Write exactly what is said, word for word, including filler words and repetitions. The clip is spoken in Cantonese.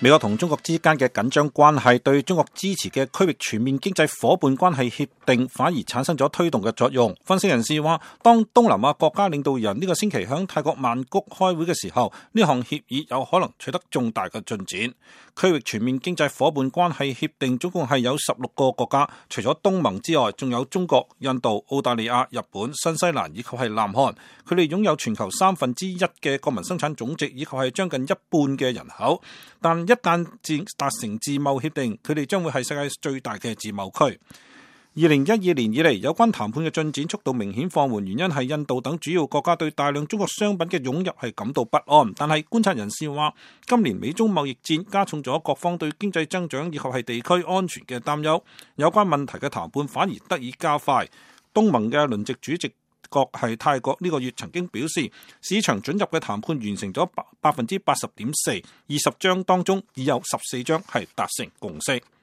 美國同中國之間嘅緊張關係對中國支持嘅區域全面經濟夥伴關係協定反而產生咗推動嘅作用。分析人士話，當東南亞國家領導人呢個星期響泰國曼谷開會嘅時候，呢項協議有可能取得重大嘅進展。區域全面經濟夥伴關係協定總共係有十六個國家，除咗東盟之外，仲有中國、印度、澳大利亞、日本、新西蘭以及係南韓。佢哋擁有全球三分之一嘅國民生產總值，以及係將近一半嘅人口。但一旦達成自貿協定，佢哋將會係世界最大嘅自貿區。二零一二年以嚟，有關談判嘅進展速度明顯放緩，原因係印度等主要國家對大量中國商品嘅湧入係感到不安。但係觀察人士話，今年美中貿易戰加重咗各方對經濟增長以及係地區安全嘅擔憂，有關問題嘅談判反而得以加快。東盟嘅輪值主席國係泰國呢個月曾經表示，市場准入嘅談判完成咗百分之八十點四，二十章當中已有十四章係達成共識。